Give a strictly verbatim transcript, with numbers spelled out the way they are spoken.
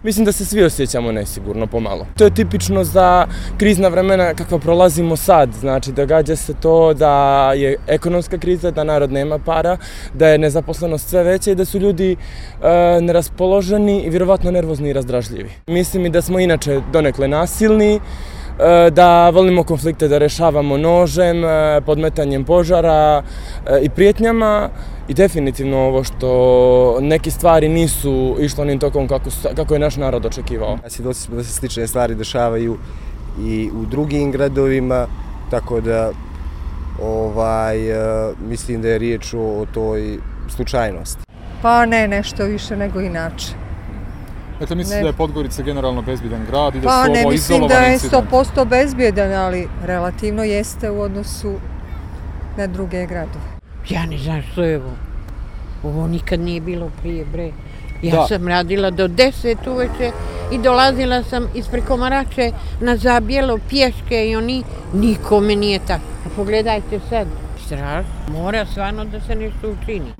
Mislim da se svi osjećamo nesigurno pomalo. To je tipično za krizna vremena kakva prolazimo sad. Znači, događa se to da je ekonomska kriza, da narod nema para, da je nezaposlenost sve veća i da su ljudi e, neraspoloženi i vjerovatno nervozni i razdražljivi. Mislim i da smo inače donekle nasilni, da volimo konflikte da rešavamo nožem, podmetanjem požara i prijetnjama i definitivno ovo što neke stvari nisu išlo onim tokom kako, kako je naš narod očekivao. Svjedoci smo da se slične stvari dešavaju i u drugim gradovima, tako da ovaj, mislim da je riječ o toj slučajnosti. Pa ne, nešto više nego inače. Dakle, mislite da je Podgorica generalno bezbjedan grad i da pa, su ovo izolovan incident? Pa ne mislim da je sto posto bezbjedan, ali relativno jeste u odnosu na druge gradove. Ja ne znam što je ovo. Ovo nikad nije bilo prije, bre. Ja da. sam radila do deset uveče i dolazila sam ispred Komarače na Zabjelo pješke i oni, nikome nije tako. A pogledajte sad, strašno, mora stvarno da se nešto učini.